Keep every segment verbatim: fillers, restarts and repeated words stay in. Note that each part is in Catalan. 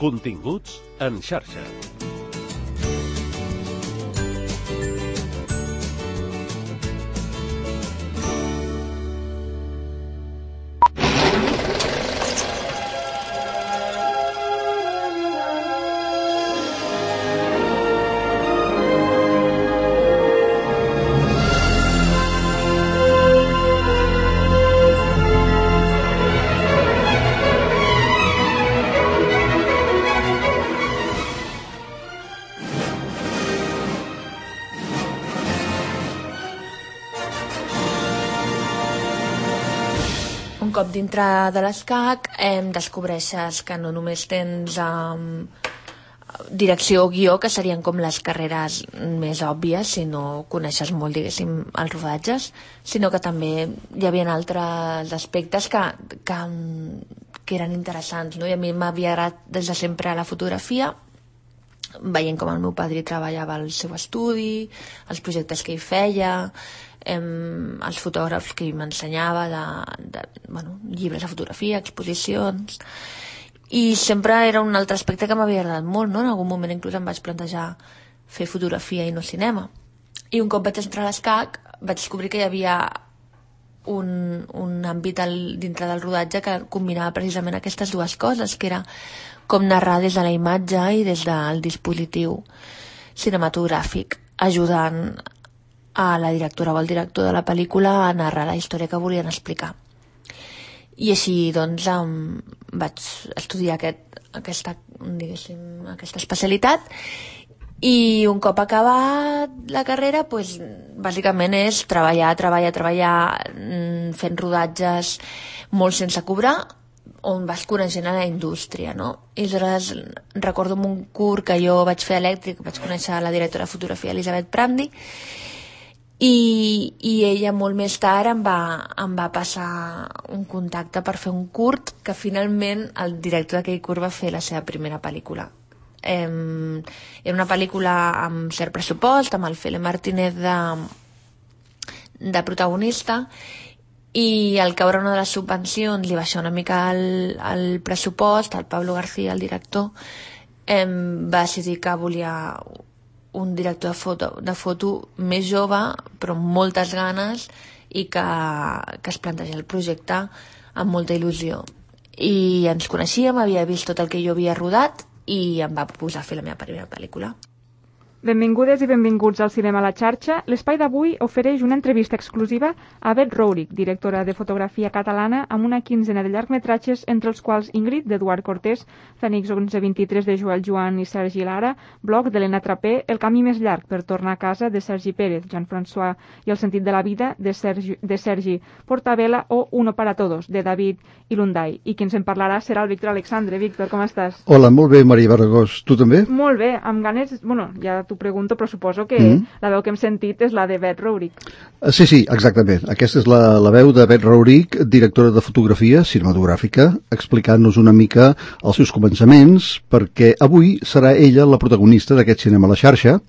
Continguts en xarxa. Un cop dintre de l'escac em descobreixes que no només tens um, direcció o guió, que serien com les carreres més òbvies si no coneixes molt, diguéssim, els rodatges, sinó que també hi havia altres aspectes que, que, que eren interessants, no? I a mi m'havia agradat des de sempre la fotografia, veient com el meu padrí treballava al seu estudi, els projectes que hi feia, em, els fotògrafs que m'ensenyava de, de bueno, llibres de fotografia, exposicions, i sempre era un altre aspecte que m'havia agradat molt, no? En algun moment inclús em vaig plantejar fer fotografia i no cinema, i un cop vaig entrar a l'escac vaig descobrir que hi havia un, un àmbit al, dintre del rodatge que combinava precisament aquestes dues coses, que era com narrar des de la imatge i des del dispositiu cinematogràfic, ajudant a la directora o al director de la pel·lícula a narrar la història que volien explicar. I així, doncs, em vaig estudiar aquest, aquesta, diguéssim, aquesta especialitat, i un cop acabat la carrera, doncs, bàsicament és treballar, treballar, treballar, fent rodatges molt sense cobrar, on vas coneixent a la indústria, no? I aleshores recordo un curs que jo vaig fer elèctric, vaig conèixer la directora de fotografia Elisabet Prandi, i, i ella molt més tard em va, em va passar un contacte per fer un curt, que finalment el director d'aquell curt va fer la seva primera pel·lícula. Em, era una pel·lícula amb cert pressupost, amb el Fele Martínez de, de protagonista, i al caure una de les subvencions li baixar una mica el, el pressupost, el Pablo García, el director, em, va decidir que volia un director de foto, de foto més jove, però amb moltes ganes, i que, que es planteja el projecte amb molta il·lusió. I ens coneixíem, havia vist tot el que jo havia rodat i em va posar a fer la meva primera pel·lícula. Benvingudes i benvinguts al Cinema a la Xarxa. L'espai d'avui ofereix una entrevista exclusiva a Bet Rourik, directora de fotografia catalana, amb una quinzena de llargmetratges, entre els quals Ingrid, d'Eduard Cortés, Fènix onze vint-i-tres, de Joel Joan i Sergi Lara, Bloc, d'Helena Trapé, El camí més llarg per tornar a casa, de Sergi Pérez, Jean-François i El sentit de la vida, de Sergi, de Sergi Portabella, o Uno para todos, de David Ilunday. I qui ens en parlarà serà el Víctor Alexandre. Víctor, com estàs? Hola, molt bé, Maria Barragós. Tu també? Molt bé, amb ganes... Bueno, ja t'ho pregunto, però suposo que mm. la veu que hem sentit és la de Bet Rourik. Sí, sí, exactament. Aquesta és la, la veu de Bet Rourik, directora de fotografia cinematogràfica, explicant-nos una mica els seus començaments, perquè avui serà ella la protagonista d'aquest Cinema a la Xarxa,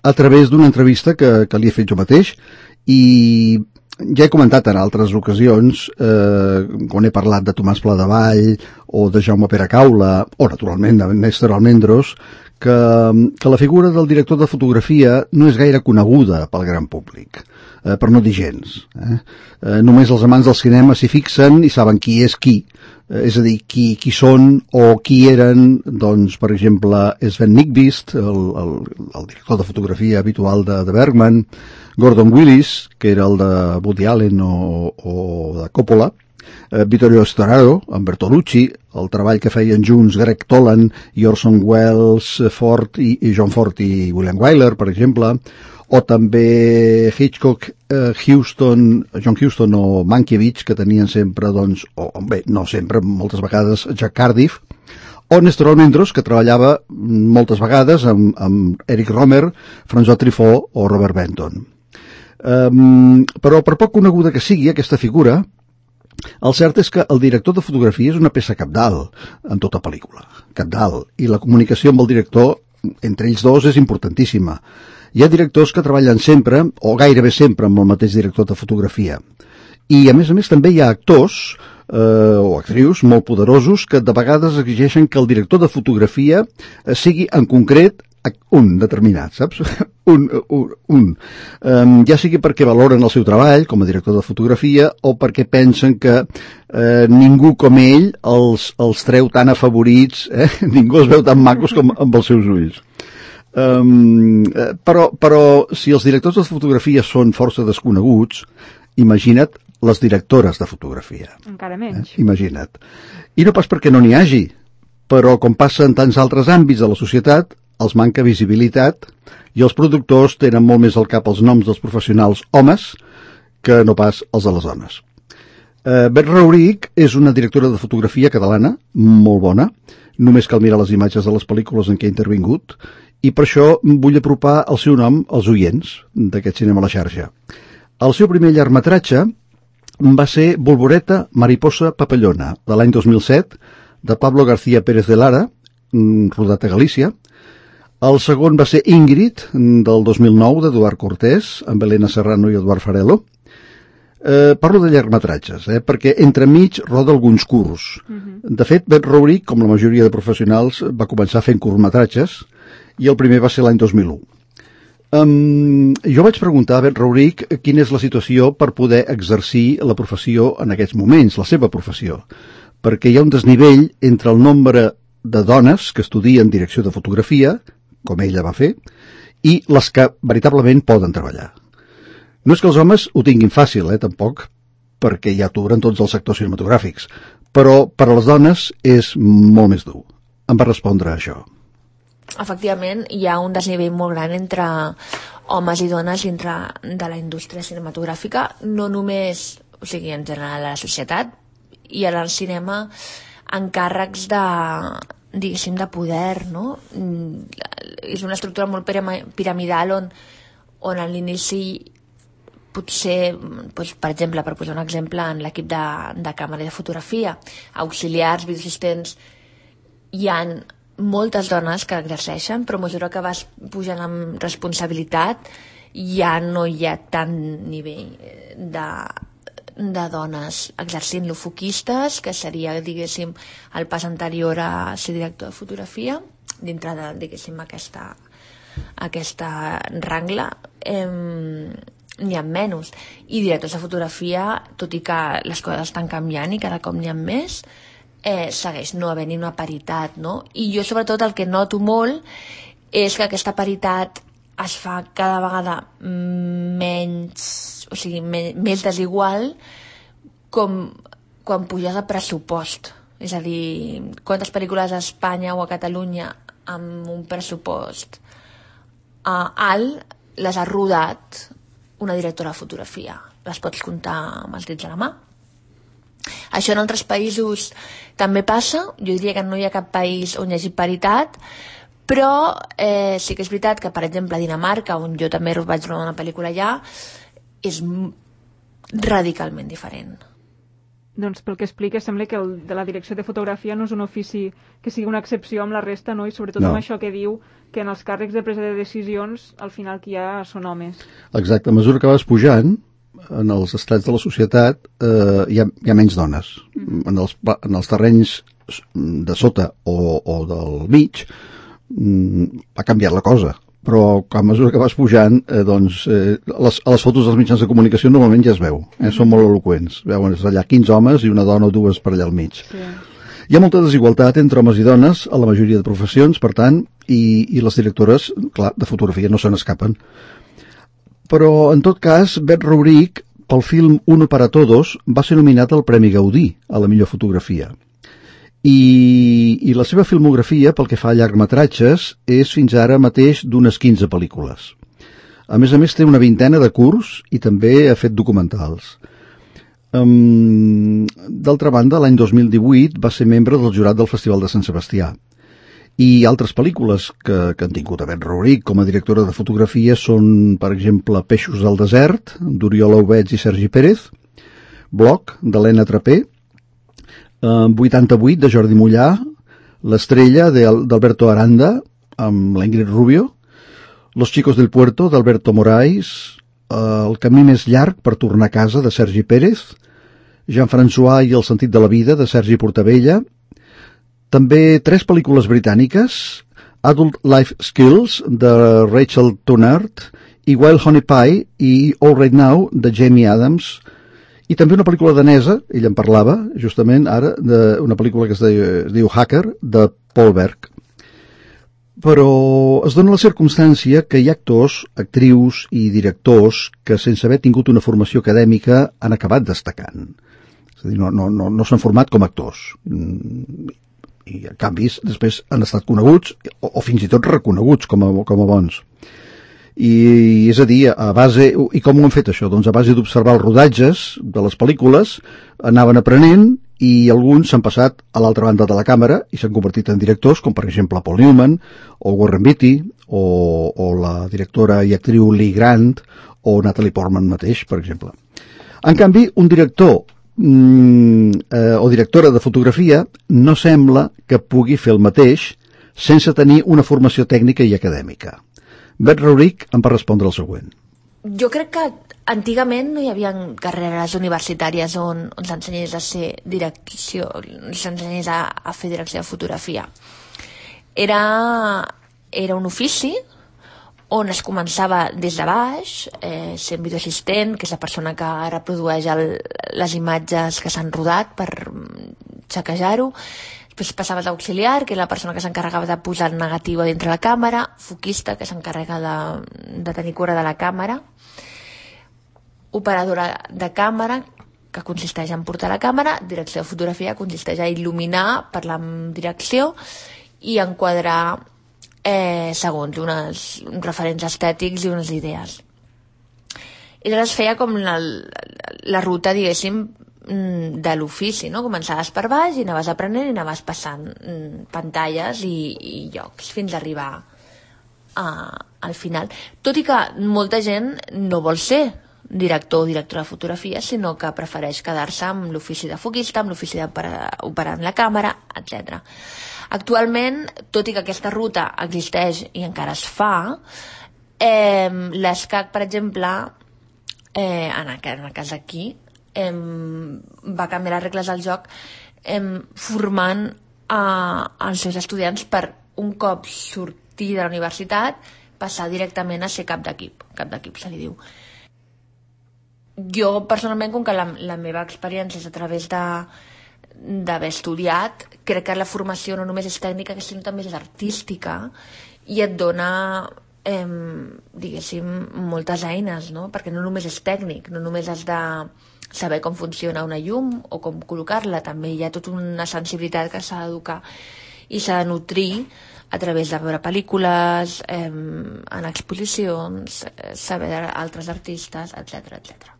a través d'una entrevista que, que li he fet jo mateix, i ja he comentat en altres ocasions, eh, quan he parlat de Tomàs Pladevall o de Jaume Peracaula, o naturalment de Néstor Almendros, que, que la figura del director de fotografia no és gaire coneguda pel gran públic, eh, per no dir gens. Eh? Eh, només els amants del cinema s'hi fixen i saben qui és qui, eh, és a dir, qui, qui són o qui eren, doncs, per exemple, Sven Nykvist, el, el, el director de fotografia habitual de, de Bergman, Gordon Willis, que era el de Woody Allen o, o de Coppola, Eh, Vittorio Storaro, amb Bertolucci, el treball que feien junts Greg Toland i Orson Welles, Ford i, i John Ford i William Wyler, per exemple, o també Hitchcock, eh, Huston, John Huston o Mankiewicz, que tenien sempre, doncs, o bé, no sempre, moltes vegades, Jack Cardiff, o Néstor Almendros, que treballava moltes vegades amb, amb Eric Romer, François Truffaut o Robert Benton. Um, però per poc coneguda que sigui aquesta figura, el cert és que el director de fotografia és una peça cabdal en tota pel·lícula, cabdal, i la comunicació amb el director entre ells dos és importantíssima. Hi ha directors que treballen sempre, o gairebé sempre, amb el mateix director de fotografia, I, a més a més, també hi ha actors eh, o actrius molt poderosos que de vegades exigeixen que el director de fotografia eh, sigui en concret un determinat, saps? un, un, un. Um, ja sigui perquè valoren el seu treball com a director de fotografia o perquè pensen que eh, ningú com ell els, els treu tan afavorits, eh? Ningú els veu tan macos com amb els seus ulls. Um, però, però si els directors de fotografia són força desconeguts, imagina't les directores de fotografia. Encara menys. Eh? Imagina't. I no pas perquè no n'hi hagi, però com passa en tants altres àmbits de la societat, els manca visibilitat i els productors tenen molt més al cap els noms dels professionals homes que no pas els de les dones. Eh, Bet Rauric és una directora de fotografia catalana, molt bona, només cal mirar les imatges de les pel·lícules en què ha intervingut, i per això vull apropar el seu nom als oients d'aquest Cinema a la Xarxa. El seu primer llargmetratge va ser Bolboreta, mariposa, papallona, de l'any dos mil set, de Pablo García Pérez de Lara, rodat a Galícia. El segon va ser Ingrid, del dos mil nou, d'Eduard Cortés, amb Elena Serrano i Eduard Farelo. Eh, parlo de llargmetratges, eh, perquè entremig roda alguns curts. Uh-huh. De fet, Bet Rauric, com la majoria de professionals, va començar fent curtmetratges, i el primer va ser l'any dos mil u. Um, jo vaig preguntar a Bet Rauric quina és la situació per poder exercir la professió en aquests moments, la seva professió, perquè hi ha un desnivell entre el nombre de dones que estudien direcció de fotografia, com ella va fer, i les que veritablement poden treballar. No és que els homes ho tinguin fàcil, eh, tampoc, perquè hi ha atur en tots els sectors cinematogràfics, però per a les dones és molt més dur. Em va respondre a això. Efectivament, hi ha un desnivell molt gran entre homes i dones dintre de la indústria cinematogràfica, no només, o sigui, en general a la societat, i ara al cinema, encàrrecs de, diguéssim, de poder, no? És una estructura molt piramidal on, on a l'inici potser, doncs, per exemple, per posar un exemple, en l'equip de, de càmera i de fotografia, auxiliars, videoassistents, hi ha moltes dones que exerceixen, però a mesura que vas pujant amb responsabilitat ja no hi ha tant nivell de, de dones exercint-lo. Foquistes, que seria, diguéssim, el pas anterior a ser director de fotografia, dintre de, diguéssim, aquesta, aquesta rangla, eh, n'hi ha menys. I directors de fotografia, tot i que les coses estan canviant i cada cop n'hi ha més, eh, segueix no havent-hi una paritat, no? I jo, sobretot, el que noto molt és que aquesta paritat es fa cada vegada menys, o sigui, me, més desigual com quan puges a pressupost. És a dir, quantes pel·lícules a Espanya o a Catalunya amb un pressupost uh, alt les ha rodat una directora de fotografia. Les pots comptar amb els dits a la mà. Això en altres països també passa. Jo diria que no hi ha cap país on hi hagi paritat, però eh, sí que és veritat que, per exemple, a Dinamarca, on jo també vaig rodar una pel·lícula allà, és radicalment diferent. Doncs pel que explica, sembla que el de la direcció de fotografia no és un ofici que sigui una excepció amb la resta, no? I sobretot no. Amb això que diu que en els càrrecs de presa de decisions al final qui hi ha són homes. Exacte, a mesura que vas pujant en els estrats de la societat eh, hi, ha, hi ha menys dones. Mm. En, els, en els terrenys de sota o, o del mig mm, ha canviat la cosa, però a mesura que vas pujant eh, doncs, eh, les, a les fotos dels mitjans de comunicació normalment ja es veu, eh, són molt eloqüents, veuen allà quinze homes i una dona o dues per allà al mig. Sí. Hi ha molta desigualtat entre homes i dones a la majoria de professions, per tant, i, i les directores, clar, de fotografia no se n'escapen. Però, en tot cas, Bet Rauric, pel film Uno para Todos, va ser nominat al Premi Gaudí a la millor fotografia. I, i la seva filmografia, pel que fa a llargmetratges, és fins ara mateix d'unes quinze pel·lícules. A més a més, té una vintena de curts i també ha fet documentals. Um, D'altra banda, l'any dos mil divuit va ser membre del jurat del Festival de Sant Sebastià. I altres pel·lícules que, que han tingut a Bet Rauric com a directora de fotografia són, per exemple, Peixos del desert, d'Oriol Aubets i Sergi Pérez, Bloc, d'Helena Trapé, eh, vuitanta-vuit, de Jordi Mollà, L'Estrella, d'Alberto Aranda, amb l'Ingrid Rubio, Los chicos del puerto, d'Alberto Moraes, El camí més llarg per tornar a casa, de Sergi Pérez, Jean-François i el sentit de la vida, de Sergi Portabella, també tres pel·lícules britàniques, Adult Life Skills, de Rachel Tunnard, i Wild Honey Pie i All Right Now, de Jamie Adams, i també una pel·lícula danesa, ell en parlava, justament ara, de una pel·lícula que es diu, es diu Hacker, de Paul Berg. Però es dona la circumstància que hi ha actors, actrius i directors que sense haver tingut una formació acadèmica han acabat destacant. És a dir, no, no, no, no s'han format com a actors. I en canvi després han estat coneguts o, o fins i tot reconeguts com a, com a bons. I és a dir, a base, i com ho han fet això? Doncs a base d'observar els rodatges de les pel·lícules, anaven aprenent i alguns s'han passat a l'altra banda de la càmera i s'han convertit en directors, com per exemple Paul Newman, o Warren Beatty, o, o la directora i actriu Lee Grant, o Natalie Portman mateix, per exemple. En canvi, un director mm, eh, o directora de fotografia no sembla que pugui fer el mateix sense tenir una formació tècnica i acadèmica. Beth Rauric em va respondre el següent. Jo crec que antigament no hi havia carreres universitàries on, on s'ensenyés a ser direcció, s'ensenyés a, a fer direcció de fotografia. Era, era un ofici on es començava des de baix, eh, sent videoassistent, que és la persona que reprodueix el, les imatges que s'han rodat per xequejar-ho. Després passaves a auxiliar, que és la persona que s'encarregava de posar el negatiu a dintre la càmera, foquista, que s'encarrega de, de tenir cura de la càmera, operadora de càmera, que consisteix en portar la càmera, direcció de fotografia, consisteix a il·luminar, parlar amb direcció i enquadrar eh, segons unes, uns referents estètics i unes idees. I llavors feia com la, la ruta, diguéssim, de l'ofici, no? Començaves per baix i anaves aprenent i anaves passant mm, pantalles i, i llocs fins a arribar a, al final. Tot i que molta gent no vol ser director o directora de fotografia, sinó que prefereix quedar-se amb l'ofici de foquista, amb l'ofici d'operar la càmera, etcètera. Actualment, tot i que aquesta ruta existeix i encara es fa, eh, l'ESCAC, per exemple, eh, en el cas aquí, Eh, va canviar les regles del joc eh, formant a, als seus estudiants per un cop sortir de la universitat passar directament a ser cap d'equip. Cap d'equip se li diu. Jo personalment, com que la, la meva experiència és a través de d'haver estudiat, crec que la formació no només és tècnica, sinó també és artística i et dona eh, diguéssim moltes eines, no? Perquè no només és tècnic, no només has de saber com funciona una llum o com col·locar-la, també hi ha tota una sensibilitat que s'ha d'educar i s'ha de nutrir a través de veure pel·lícules, eh, en exposicions, eh, saber d'altres artistes, etcètera, etcètera.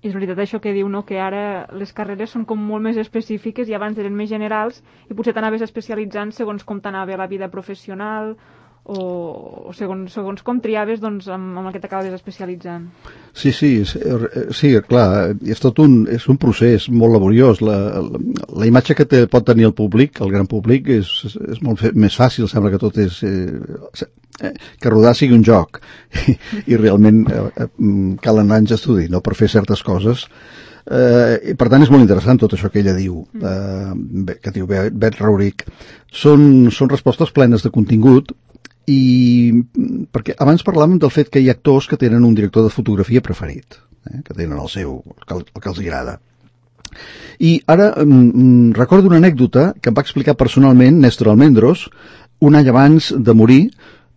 I és veritat això que diu, no?, que ara les carreres són com molt més específiques i abans eren més generals i potser t'anaves especialitzant segons com t'anava la vida professional o, o segons, segons com triaves, doncs, amb, amb el que t'acabes especialitzant. Sí, sí, sí, clar, és tot un, és un procés molt laboriós. La, la, la imatge que te pot tenir el públic, el gran públic, és, és molt fe, més fàcil, sembla que tot és... Eh, que rodar sigui un joc i, i realment eh, calen anys d'estudi, no?, per fer certes coses. Eh, per tant és molt interessant tot això que ella diu, eh, que diu Beth Rauric. Són, són respostes plenes de contingut i perquè abans parlàvem del fet que hi ha actors que tenen un director de fotografia preferit, eh, que tenen el seu, el que, el que els agrada. I ara mm, recordo una anècdota que em va explicar personalment Néstor Almendros un any abans de morir,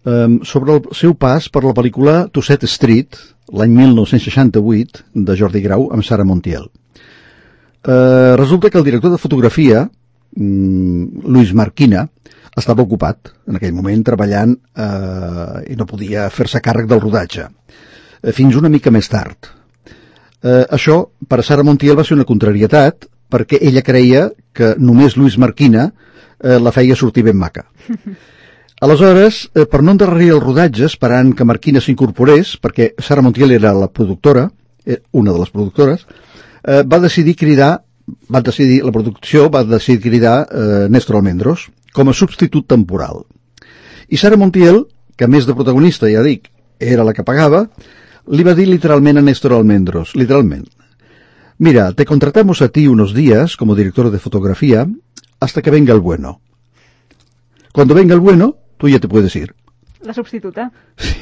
eh, sobre el seu pas per la pel·lícula Tosset Street, l'any mil nou-cents seixanta-vuit, de Jordi Grau, amb Sara Montiel. Eh, resulta que el director de fotografia, mm, Luis Marquina, estava ocupat en aquell moment treballant eh, i no podia fer-se càrrec del rodatge, eh, fins una mica més tard. Eh, això, per a Sara Montiel, va ser una contrarietat perquè ella creia que només Luis Marquina eh, la feia sortir ben maca. Aleshores, eh, per no endarrerir el rodatge, esperant que Marquina s'incorporés, perquè Sara Montiel era la productora, eh, una de les productores, eh, va decidir cridar, va decidir, la producció va decidir cridar eh, Néstor Almendros com a substitut temporal. I Sara Montiel, que a més de protagonista, ja dic, era la que pagava, Li va dir literalmente a Néstor Almendros, literalmente. Mira, te contratamos a ti unos días como director de fotografía hasta que venga el bueno. Cuando venga el bueno, tú ya te puedes ir. La substituta. Sí.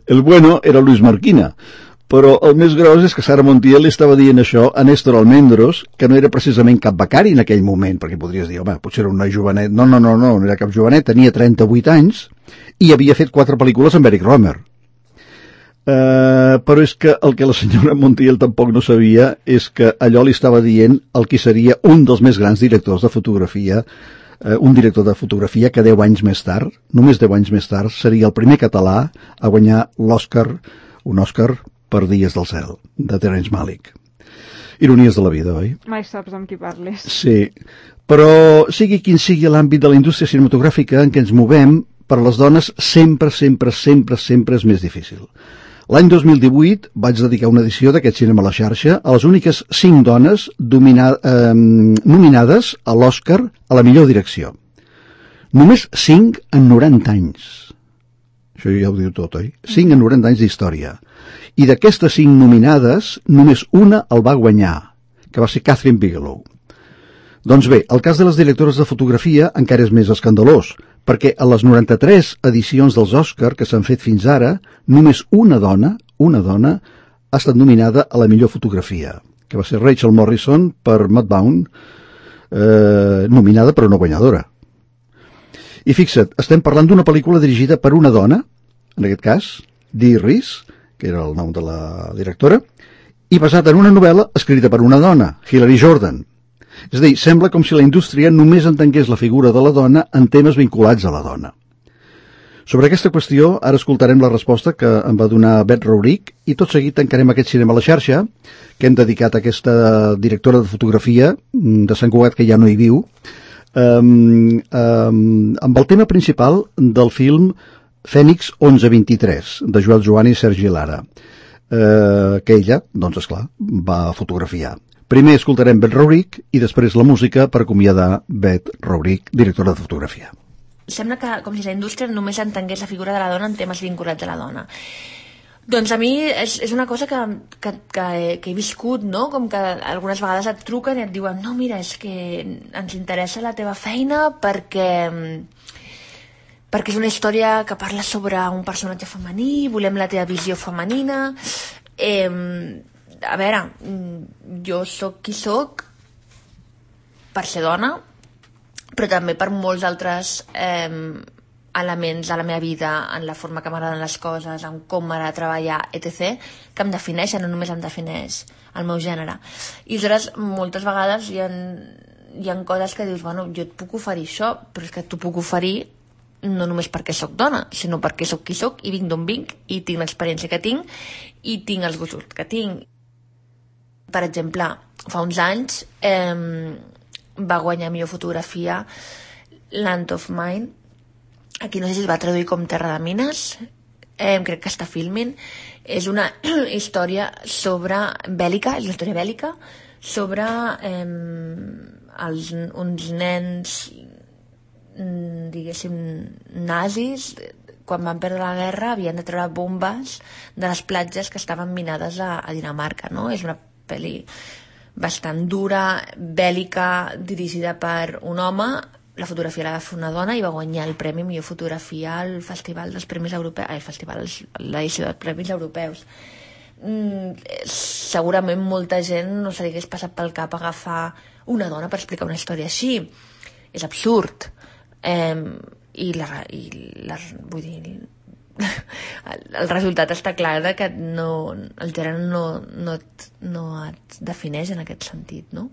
El bueno era Luis Marquina, però el més gros és que Sara Montiel li estava dient això a Néstor Almendros, que no era precisament cap becari en aquell moment, perquè podries dir, home, potser era una jovenet. No, no, no, no, no era cap jovenet, tenia trenta-vuit anys i havia fet quatre pel·lícules amb Eric Romer. Uh, però és que el que la senyora Montiel tampoc no sabia és que allò li estava dient el que seria un dels més grans directors de fotografia, uh, un director de fotografia que deu anys més tard, només deu anys més tard, seria el primer català a guanyar l'Oscar, un Oscar per Dies del cel, de Terence Malick. Ironies de la vida, oi? Mai saps amb qui parles. Sí, però sigui quin sigui l'àmbit de la indústria cinematogràfica en què ens movem, per les dones sempre, sempre, sempre, sempre és més difícil. L'any dos mil divuit vaig dedicar una edició d'aquest Cinema a la xarxa a les úniques cinc dones domina, eh, nominades a l'Oscar a la millor direcció. Només cinc en noranta anys. Això ja ho diu tot, oi? cinc en noranta anys d'història. I d'aquestes cinc nominades, només una el va guanyar, que va ser Catherine Bigelow. Doncs bé, el cas de les directores de fotografia encara és més escandalós, perquè a les noranta-tres edicions dels Oscar que s'han fet fins ara, només una dona, una dona, ha estat nominada a la millor fotografia, que va ser Rachel Morrison per Mudbound, eh, nominada però no guanyadora. I fixa't, estem parlant d'una pel·lícula dirigida per una dona, en aquest cas, Dee Rees, que era el nom de la directora, i basada en una novel·la escrita per una dona, Hilary Jordan. És a dir, sembla com si la indústria només entengués la figura de la dona en temes vinculats a la dona. Sobre aquesta qüestió, ara escoltarem la resposta que em va donar Beth Rouric i tot seguit tancarem aquest Cinema a la xarxa, que hem dedicat a aquesta directora de fotografia de Sant Cugat, que ja no hi viu, um, um, amb el tema principal del film Fènix onze vint-i-tres, de Joel Joan i Sergi Lara, uh, que ella, doncs esclar, va fotografiar. Primer escoltarem Beth Rouric i després la música per acomiadar Beth Rouric, directora de fotografia. Sembla que com si la indústria només entengués la figura de la dona en temes vinculats a la dona. Doncs a mi és, és una cosa que, que, que, he, que he viscut, no? Com que algunes vegades et truquen i et diuen no, mira, és que ens interessa la teva feina perquè, perquè és una història que parla sobre un personatge femení, volem la teva visió femenina. Eh, a veure, jo sóc qui sóc per ser dona, però també per molts altres eh, elements de la meva vida, en la forma que m'agraden les coses, en com m'agrada treballar, etcètera, que em defineixen, no només em defineix el meu gènere. I aleshores, moltes vegades hi ha, hi ha coses que dius, bueno, jo et puc oferir això, però és que t'ho puc oferir no només perquè sóc dona, sinó perquè sóc qui sóc i vinc d'on vinc i tinc l'experiència que tinc i tinc els gustos que tinc. Per exemple, fa uns anys eh, va guanyar millor fotografia Land of Mine. Aquí no sé si es va traduir com Terra de Mines, eh, crec que està filming. És una història sobre bèl·lica, és una història bèl·lica sobre eh, els, uns nens, diguéssim, nazis. Quan van perdre la guerra havien de treure bombes de les platges que estaven minades a, a Dinamarca, no? És una pel·li bastant dura, bèl·lica, dirigida per un home. La fotografia la va fer una dona i va guanyar el premi millor fotografia al Festival dels Premis Europeus, al Festival, l'edició dels Premis Europeus. Mm, segurament molta gent no se li hagués passat pel cap agafar una dona per explicar una història així. És absurd. Eh, i, la, i la, vull dir, el resultat està clar de que no, el gènere no, no, et, no et defineix en aquest sentit, no?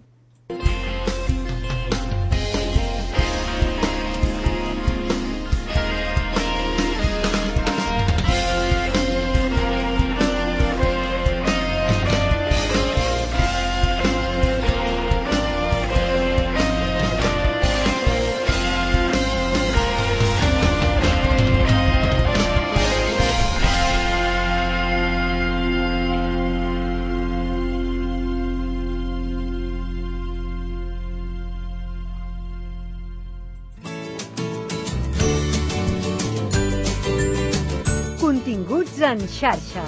Benvinguts en xarxa.